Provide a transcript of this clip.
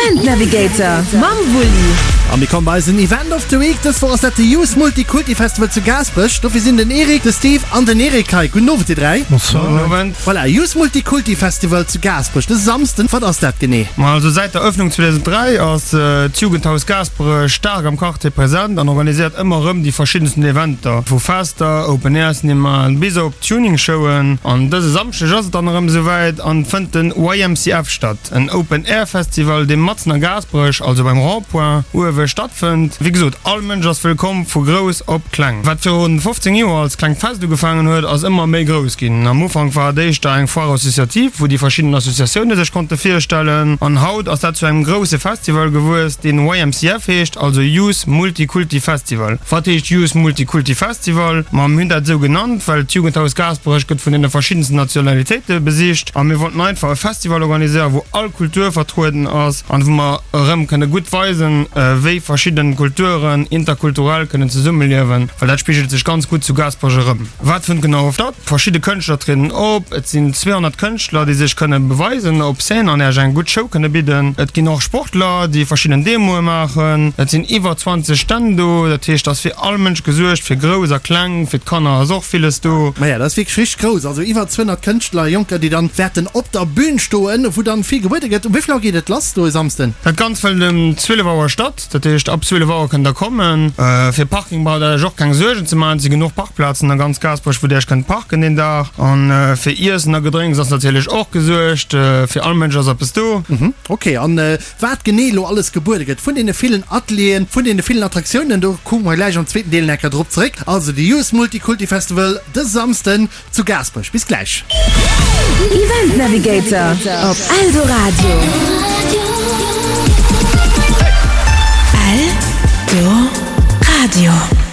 Event Navigator mam Wulli. A mir komme bei eisen Event of the Week. Dës Woch ass dat de Youth Multikulti Festival zu Gaasperech. Dofir sinn den Eric, de Steve an den Eric hei. Gudden Owend dir 3. Bonsoir. Gudden Owend. Voilà, Youth Multikulti Festival zu Gaasperech dëse Samsden. Wat ass dat genee? Ma also säit der Ëffnung 2003 ass d'Jugendhaus Gaasperech staark am Quartier present an organiséiert ëmmer erëm déi verschiddensten Eventer, vu Fester, Open Air Cinemaen bis op Tuning-Showen. An dëse Samschdeg ass et dann erëm esouwäit an fënnt den YMCF statt, en Open Air Festival, dee matzen a Gaasperech, also beim Rond-point uewe, stattfënnt. Wéi gesot, all Mënsch ass wëllkomm, vu grouss op kleng. Wat virun 15 Joer als klengt Fest ugefaangen huet, ass ëmmer méi grouss ginn. Am Ufank war et éischter eng Foire associative, wou déi verschidden Associatioune sech konnte virstellen. An haut ass dat zu engem grousse Festival gewuess, deen YMCF heescht, also Youth Multikulti Festival. Wat heescht Youth Multikulti Festival? Ma mir hunn dat esou genannt, well d'Jugendhaus Gaasperech gëtt vun deene verschiddensten Nationalitéite besicht a mir wollten einfach e Festival organiséieren, wou all Kultur vertrueden ass an wou mer erëm kënne gutt weisen, wéi verschidden Kulturen interkulturell kënnen zesummeliewen, well dat spigelt sech ganz gutt zu Gaasperech erëm. Wat fënnt genau statt? Verschidde Kënschtler trieden op, et sinn 200 Kënschtler, déi sech kënne beweisen op Scène an Iech eng gutt Show kënne bidden. Et ginn och Sportler, déi verschidden Demoe maachen. Et sinn iwwer 20 Stänn do, dat heescht, et ass fir all Mënsch gesuergt, fir Grouss a Kleng, fir d'Kanner ass och villes do. Maja, dat ass wierklech richteg grouss, also iwwer 200 Kënschtler, Jonker, déi dann wäerten op der Bühn stoen, wou dann vill gebuede gëtt. Um wéi vill Auer geet et lass do e Samsden? Dat Ganzt fënnt ëm 12 Auer statt. Dat heescht, ab 12 Auer kënnt der kommen. Fir Parking braucht der iech och keng Suergen ze maachen. Et si genuch Parkplazen a ganz Gaasperech, wou dir iech kënnt parken deen Dag. A fir Iessen a Gedrénks ass natierlech och gesuergt. Fir all Mënsch ass eppes do. Ok, an wat genee elo alles gebuede gëtt vun deene villen Atelieren, vun deene villen Attraktiounen, do kucke mer gläich am zweeten Deel enker drop zeréck. Also de Youth Multikulti Festival dëse Samsden zu Gaasperech. Bis gläich. Event Navigator op Eldoradio. Eldoradio.